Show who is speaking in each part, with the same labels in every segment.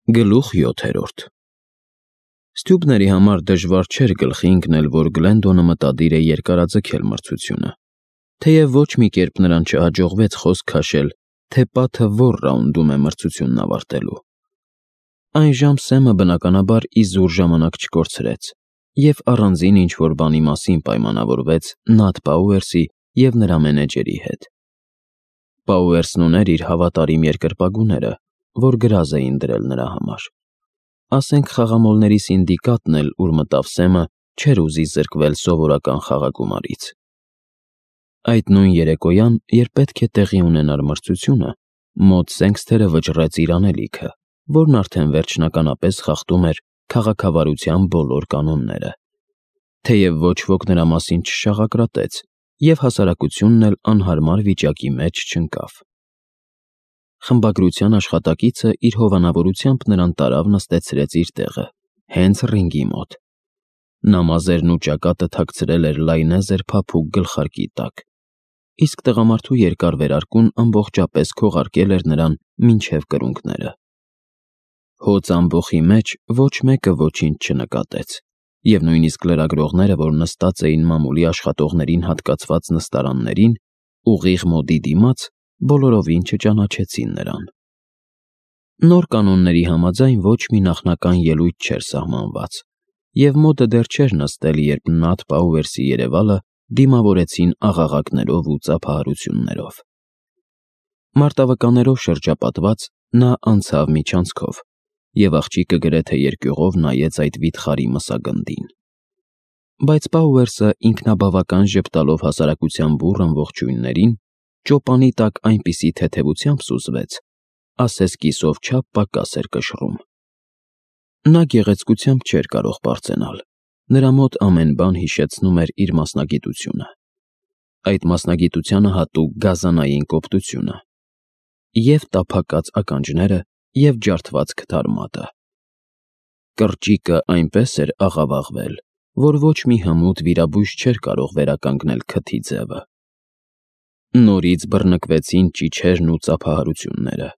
Speaker 1: Գլուխ 7. Ստյուպների համար դժվար չէր գլխի ընկնել, որ Գլենդոնը մտադիր է երկարաձգել մրցությունը, թեև ոչ մի կերպ նրան չհաջողվեց խոսք քաշել, թե պատը որ ռաունդում է մրցությունն ավարտելու։ Այնժամ Սեմը բնականաբար իզուր ժամանակ չկորցրեց և առանձին ինչ-որ բանի մասին պայմանավորվեց Նաթ Պաուերսի և նրա մենեջերի հետ։ Պաուերսն ուներ իր հավատարիմ երկրպագուները, որ գրազ էին դրել նրա համար։ Ասենք խաղամոլների սինդիկատն էլ, ուր մտավ Սեմը, չէր ուզի զրկվել սովորական խաղագումարից։ Այդ նույն երեկոյան, երբ պետք է տեղի ունենար մրցությունը, Մոտ Սենքսթերը վճռեց իր անելիքը, որն արդեն վերջնականապես խախտում էր քաղաքավարության բոլոր կանոնները, թեև ոչ ոք նրա մասին չշաղակրատեց, և հասարակությունն էլ անհարմար վիճակի մեջ չընկավ։ Խմբագրության աշխատակիցը իր հովանավորությամբ նրան տարավ նստեցրեց իր տեղը, հենց ռինգի մոտ։ Նա մազերն ու ճակատը թաքցրել էր լայնեզր փափուկ գլխարկի տակ, իսկ տղամարդու երկար վերարկուն ամբողջապես քողարկել էր նրան մինչև կրունկները։ Հոծ ամբոխի մեջ ոչ մեկը ոչինչ չնկատեց, և նույնիսկ լրագրողները, որ նստած էին մամուլի աշխատողներին հատկացված նստարաններին, ուղիղ Մոդի դիմաց, բոլորովին չճանաչեցին նրան։ Նոր կանոնների համաձայն ոչ մի նախնական ելույթ չէր սահմանված, և Մոդը դեռ չէր նստել, երբ Նաթ Պաուերսի երևալը դիմավորեցին աղաղակներով ու ծափահարություններով։ Մարտավկաններով շրջապատված՝ նա անցավ միջանցքով, և աղջիկը գրեթե երկյուղով նայեց այդ վիթխարի մսագնդին։ Բայց Պաուերսը ինքնաբավական ժպտալով հասարակության բուռն ողջույններին, ճոպանի տակ այնպիսի թեթևությամբ սուզվեց, ասես կիսով չափ պակաս էր կշռում։ Նա գեղեցկությամբ չէր կարող պարծենալ, նրա մոտ ամեն բան հիշեցնում էր իր մասնագիտությունը, այդ մասնագիտությանը հատուկ գազանային կոպտությունը, և տափակած ականջները, և ջարդված քթար մատը։ Կրճիկը այնպես էր աղավաղվել, որ ոչ մի հմուտ վիրաբույժ չէր կարող վերականգնել քթի ձևը։ Նորից բռնկվեցին ճիչերն ու ծափահարությունները,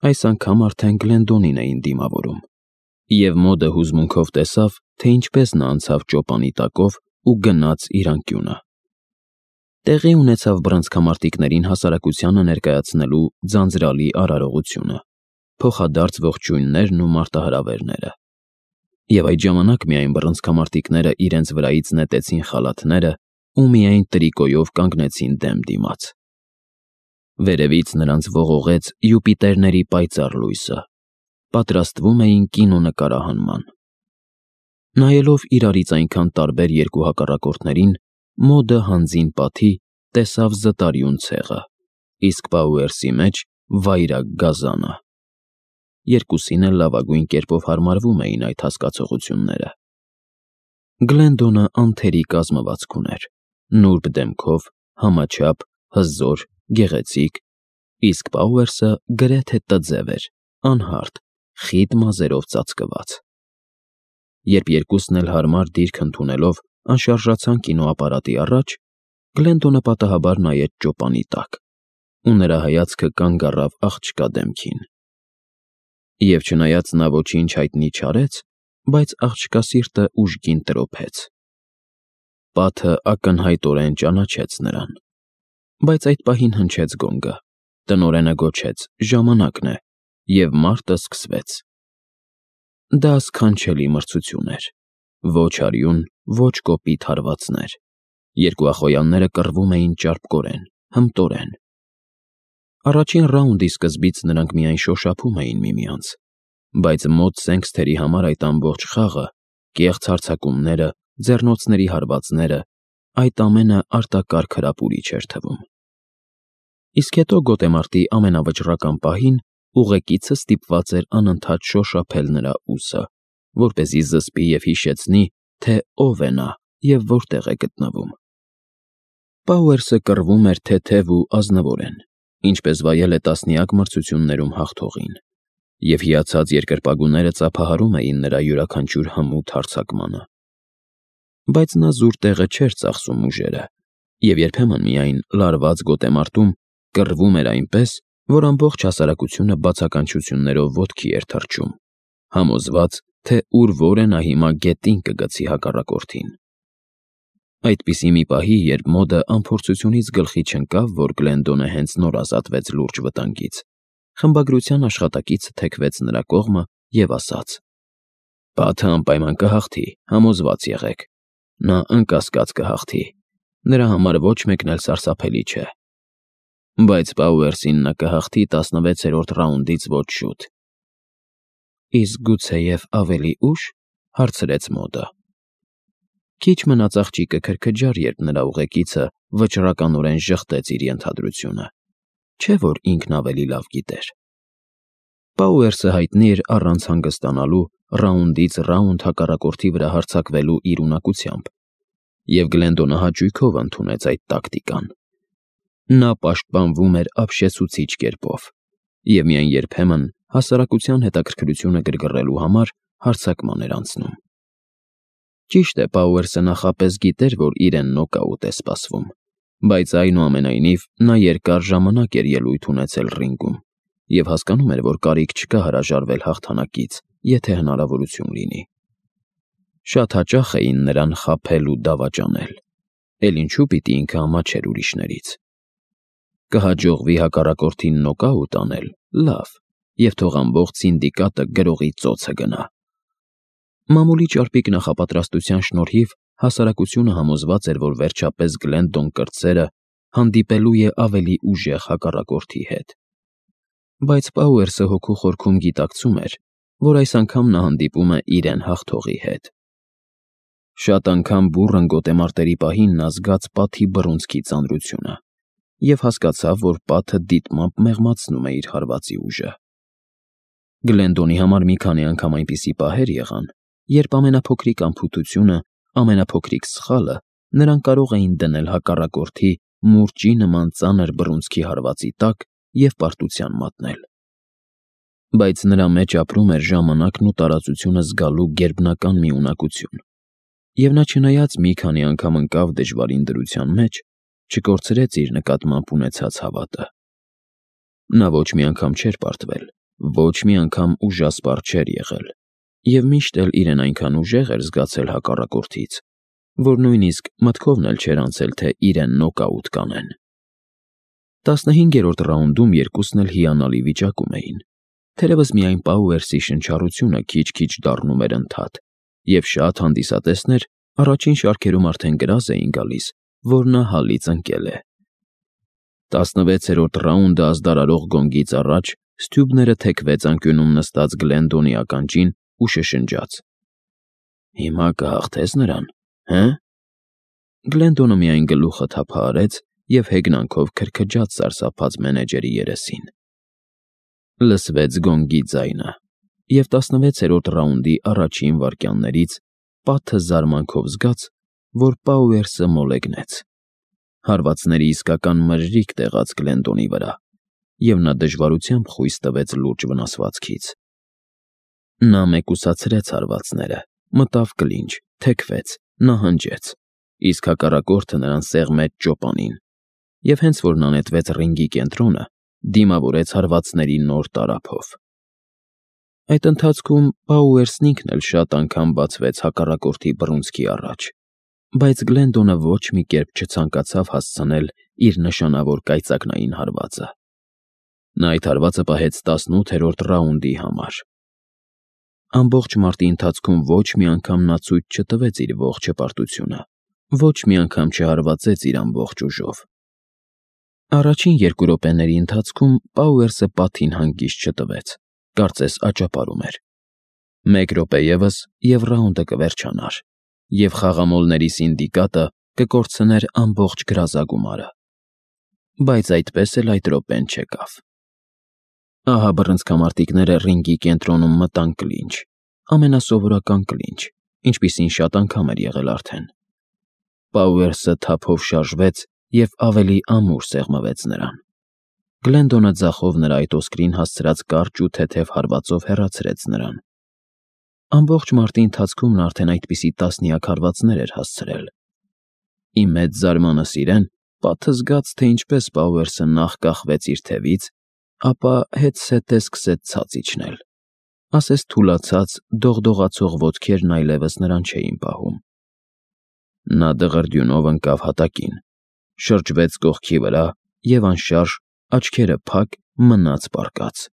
Speaker 1: այս անգամ արդեն Գլենդոնին էին դիմավորում, և Մոդը հուզմունքով տեսավ, թե ինչպես նա անցավ ճոպանի տակով ու գնաց իր անկյունը։ Տեղի ունեցավ բռնցքամարտիկներին հասարակությանը ներկայացնելու ձանձրալի արարողությունը, փոխադարձ ողջույններն ու մարտահրավերները։ Եվ այդ ժամանակ միայն բռնցքամարտիկները իրենց վրայից նետեցին խալաթները ու միայն տրիկոյով կանգնեցին դեմ դիմաց։ Վերևից նրանց ողողեց Յուպիտերների պայծառ լույսը, պատրաստվում էին կինոնկարահանման։ Նայելով իրարից այնքան տարբեր երկու հակառակորդներին, Մոդը հանձին պատի տեսավ զտարյուն ցեղը, իսկ Պաուերսի մեջ վայրագ գազանը։ Երկուսին էլ լավագույն կերպով հարմարվում էին այդ հասկացությունները։ Գլենդոնը անթերի կազմվածք ուներ, նուրբ դեմքով, համաչափ, հզոր, գեղեցիկ, իսկ Պաուերսը գրեթե տձև էր, անհարթ, խիտ մազերով ծածկված։ Երբ երկուսն էլ հարմար դիրք ընդունելով անշարժացան կինոապարատի առաջ, Գլենդոնը պատահաբար նայեց ճոպանի տակ, ու նրա հայացքը կանգ առավ աղջկա դեմքին։ Եվ չնայած նա ոչինչ հայտնի չարեց, բայց աղջկա սիրտը ուժգին տրոփեց։ Պատը ակնհայտորեն ճանաչեց նրան։ Բայց այդ պահին հնչեց գոնգը, տնօրենը գոչեց. «Ժամանակն է», և մարտը սկսվեց։ Դա սքանչելի մրցություն էր։ Ոչ արյուն, ոչ կոպիտ հարվածներ։ Երկու ախոյանները կռվում էին ճարպկորեն, հմտորեն։ Առաջին ռաունդի սկզբից նրանք միայն շոշափում էին միմյանց, բայց Մոտ Սենքսթերի համար այդ ամբողջ խաղը, կեղծ հարձակումները, ձեռնոցների հարվածները, այդ ամենը արտակարգ հրապուրիչ էր թվում։ Իսկ հետո գոտեմարտի ամենավճռական պահին ուղեկիցը ստիպված էր անընդհատ շոշափել նրա ուսը, որպեսզի զսպի և հիշեցնի, թե ով է նա և որտեղ է գտնվում։ Պաուերսը կռվում էր թեթև ու ազնվորեն, ինչպես վայել է տասնյակ մրցություններում հաղթողին, և հիացած երկրպագուները ծափահարում էին նրա յուրաքանչյուր հմուտ հարձակմանը։ Բայց նա զուր տեղը չէր ծախսում ուժերը, և երբեմն միայն լարված գոտեմարտում կռվում էր այնպես, որ ամբողջ հասարակությունը բացականչություններով ոտքի էր թռչում, համոզված, թե ուր որ է նա հիմա գետին կգցի հակառակորդին։ Այդպիսի մի պահի, երբ մոդը անփորձությունից գլխի չընկավ, որ Գլենդոնը հենց նոր ազատվեց լուրջ վտանգից, խմբագրության աշխատակիցը թեքվեց նրա կողմը և ասաց. «Բաթը անպայման կհաղթի, համոզված եղեք։ Նա անկասկած կհաղթի։ Նրա համար ոչ մեկն էլ սարսափելի չէ։ Բայց Պաուերսին նա կհաղթի 16-րդ ռաունդից ոչ շուտ»։ «Իսկ գուցեև ավելի ուշ», հարցրեց մոդը։ Քիչ մնաց աղջիկը քրքջար, երբ նրա ուղեկիցը վճռականորեն ժխտեց իր ենթադրությունը, չէ՞ որ ինքն ավելի լավ գիտեր։ Պաուերսը հայտնի էր առանց հանգստանալու ռաունդից ռաունդ հակառակորդի վրա հարձակվելու իր ունակությամբ, և Գլենդոնը հաճույքով ընդունեց այդ տակտիկան։ Նա պաշտպանվում էր ապշեցուցիչ կերպով և միայն երբեմն հասարակության հետաքրքրությունը գրգռելու համար հարձակման էր անցնում։ Ճիշտ է, Պաուերսը նախապես գիտեր, որ իրեն նոկաուտ է սպասվում, բայց այնուամենայնիվ նա երկար ժամանակ էր ելույթ ունեցել ռինգում և հասկանում էր, որ կարիք չկա հրաժարվել հաղթանակից, եթե հնարավորություն լինի։ Շատ հաճախ էին նրան խաբել ու դավաճանել, էլ ինչու պիտի ինքը ամաչեր ուրիշներից։ Կհաջողվի հակառակորդին նոկաուտ անել, լավ, և թող ամբողջ սինդիկատը գրողի ծոցը գնա։ Մամուլի ճարպիկ նախապատրաստության շնորհիվ հասարակությունը համոզված էր, որ վերջապես Գլենդոն կրտսերը հանդիպելու է ավելի ուժեղ հակառակորդի հետ։ Բայց Պաուերսը հոգու խորքում գիտակցում էր, որ այս անգամ նա հանդիպում է իրեն հաղթողի հետ։ Շատ անգամ բուռն գոտեմարտերի պահին նա զգաց պատի բռունցքի ծանրությունը և հասկացավ, որ պատը դիտմամբ մեղմացնում է իր հարվածի ուժը։ Գլենդոնի համար մի քանի անգամ այնպիսի պահեր եղան, երբ ամենափոքրիկ անփութությունը, ամենափոքրիկ սխալը նրան կարող էին դնել հակառակորդի մուրճի նման ծանր բռունցքի հարվածի տակ և պարտության մատնել։ Բայց նրա մեջ ապրում էր ժամանակն ու տարածությունը զգալու գերբնական մի ունակություն, և նա, չնայած մի քանի անգամ ընկավ դժվարին դրության մեջ, չկորցրեց իր նկատմամբ ունեցած հավատը։ Նա ոչ մի անգամ չէր պարտվել, ոչ մի անգամ ուժասպառ չէր եղել, և միշտ էլ իրեն այնքան ուժեղ էր զգացել հակառակորդից, որ նույնիսկ մտքովն էլ չէր անցել, թե իրեն նոկաուտ կանեն։ 15-րդ ռաունդում երկուսն էլ հիանալի վիճակում էին, թերևս միայն Պաուերսի շնչառությունը քիչ-քիչ դառնում էր ընդհատ, և շատ հանդիսատեսներ առաջին շարքերում արդեն գրազ էին գալիս, որ նա հալից ընկել է։ 16-րդ ռաունդը ազդարարող գոնգից առաջ Սթյուբները թեքվեց անկյունում նստած Գլենդոնի ականջին ու շշնջաց. «Հիմա կհաղթես նրան, հը՞»։ Գլենդոնը միայն գլուխը թափահարեց և հեգնանքով քրքջաց սարսափած մենեջերի երեսին։ Լսվեց գոնգի ձայնը, և 16-րդ ռաունդի առաջին վայրկյաններից պատը զարմանքով զգաց, որ Պաուերսը մոլեգնեց։ Հարվածների իսկական մրրիկ տեղաց Գլենդոնի վրա, և նա դժվարությամբ խույս տվեց լուրջ վնասվածքից։ Նա մեկուսացրեց հարվածները, մտավ կլինչ, թեքվեց, նահանջեց, իսկ հակառակորդը նրան սեղմեց ճոպանին, և հենց որ նա նետվեց ռինգի կենտրոնը, դիմավորեց հարվածների նոր տարափով։ Այդ ընթացքում Պաուերսն ինքն էլ շատ անգամ բացվեց հակառակորդի բռունցքի առաջ, բայց Գլենդոնը ոչ մի կերպ չցանկացավ հասցնել իր նշանավոր կայծակնային հարվածը։ Նա այդ հարվածը պահեց 18-րդ ռաունդի համար։ Ամբողջ մարտի ընթացքում ոչ մի անգամ նա ցույց չտվեց իր ողջ հպարտությունը, ոչ մի անգամ չհարվածեց իր ամբողջ ուժով։ Առաջին 2 րոպեների ընթացքում Պաուերսը պատին հանգիստ չտվեց, կարծես աճապարում էր։ 1 րոպե ևս, և ռաունդը կվերջանար, և խաղամոլների սինդիկատը կկորցներ ամբողջ գրազագումարը։ Բայց այդպես էլ այդ րոպեն չեկավ։ Ահա բռնցքամարտիկները ռինգի կենտրոնում մտան կլինչ, ամենասովորական կլինչ, ինչպիսին շատ անգամ էր եղել արդեն։ Պաուերսը թափով շարժվեց և ավելի ամուր սեղմվեց նրան։ Գլենդոնը ձախով նրա այդ ոսկրին հասցրած կարճ ու թեթև հարվածով հեռացրեց նրան։ Ամբողջ մարտի ընթացքում նա արդեն այդպիսի տասնյակ հարվածներ էր հասցրել։ Ի մեծ զարմանս իրեն, պատը զգաց, թե ինչպես Պաուերսը նախ կախվեց իր թևից, ապա հետզհետե սկսեց ցած իջնել։ ասես թուլացած, դողդողացող ոտքերն այլևս նրան չէին պահում։ Նա դղրդյունով ընկավ հատակին, շրջվեց կողքի վրա և անշարժ, աչքերը փակ, մնաց պառկած։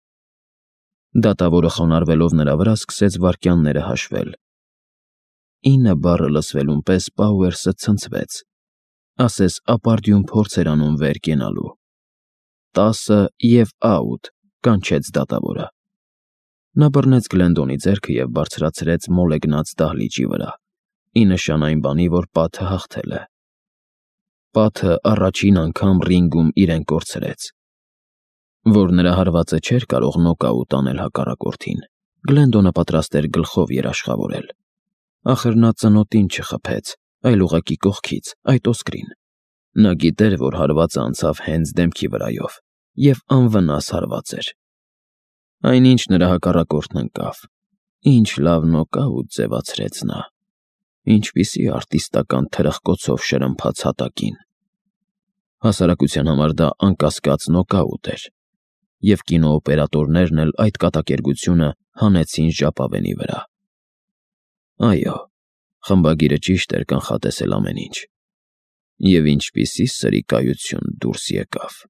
Speaker 1: Դատավորը խոնարհվելով նրա վրա սկսեց վայրկյանները հաշվել։ 9 բառը լսվելուն պես Պաուերսը ցնցվեց, ասես ապարդյուն փորձ էր անում վեր կենալու։ 10 և աուտ, կանչեց դատավորը։ Նա բռնեց Գլենդոնի ձեռքը և բարձրացրեց մոլեգնած դահլիճի վրա, ի նշան այն բանի, որ պատը հաղթել է։ Պատը առաջին անգամ ռինգում իրեն կորցրեց։ Որ նրա հարվածը չէր կարող նոկաուտ անել հակառակորդին, Գլենդոնը պատրաստ էր գլխով երաշխավորել։ Ախր նա ծնոտին չխփեց, այլ ուղղակի կողքից, այդ osկրին։ Նա գիտեր, որ հարվածը անցավ հենց դեմքի վրայով, և անվնաս հարված էր։ Այնինչ նրա հակառակորդն ընկավ։ Ինչ լավ նոկաուտ ձևացրեց նա։ Ինչպիսի արտիստական թրխկոցով շրմփաց հատակին։ Հասարակության համար դա անկասկած նոկաուտ էր, և կինոօպերատորներն էլ այդ կատակերգությունը հանեցին ժապավենի վրա։ Այո, խմբագիրը ճիշտ էր կանխատեսել ամեն ինչ։ Եվ ինչպիսի սրիկայություն դուրս եկավ։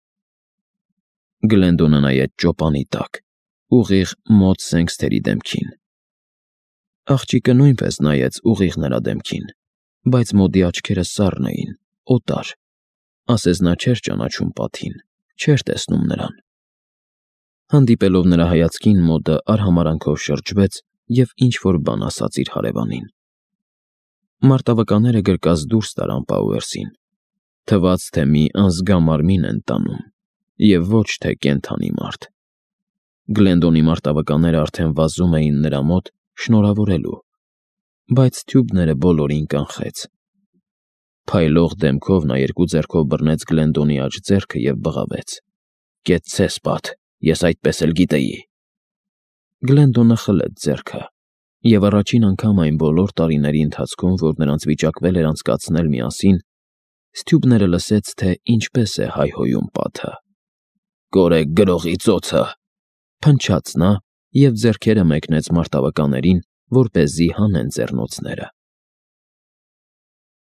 Speaker 1: Գլենդոնը նայեց ճոպանի տակ, ուղիղ մոտ Սենքսթերի դեմքին։ Աղջիկը նույնպես նայեց ուղիղ նրա դեմքին, բայց մոդի աչքերը սառն էին, օտար, ասես նա չէր ճանաչում պատին, չէր տեսնում նրան։ Հանդիպելով նրա հայացքին, մոդը արհամարհանքով շրջվեց և ինչ-որ բան ասաց իր հարևանին։ Մարտավականները գրկած դուրս տարան Պաուերսին։ Թվաց, թե մի անզգա մարմին են տանում, և ոչ թե կենդանի մարդ։ Գլենդոնի մարտավականները արդեն վազում էին նրա մոտ շնորհավորելու, բայց թյուբները բոլորին կանխեց։ Փայլող դեմքով նա երկու ձեռքով բռնեց Գլենդոնի աջ ձեռքը և բղավեց. «Կեցցես, պատ, ես այդպես էլ գիտեի»։ Գլենդոնը խլեց ձեռքը, և առաջին անգամ այն բոլոր տարիների ընթացքում, որ նրանց վիճակվել էր անցկացնել միասին, Ստյուբները լսեց, թե ինչպես է հայհոյում պատը։ «Կորեք գրողի ծոցը», փնչաց նա և ձեռքերը մեկնեց մարտավականներին, որպեսզի հանեն ձեռնոցները։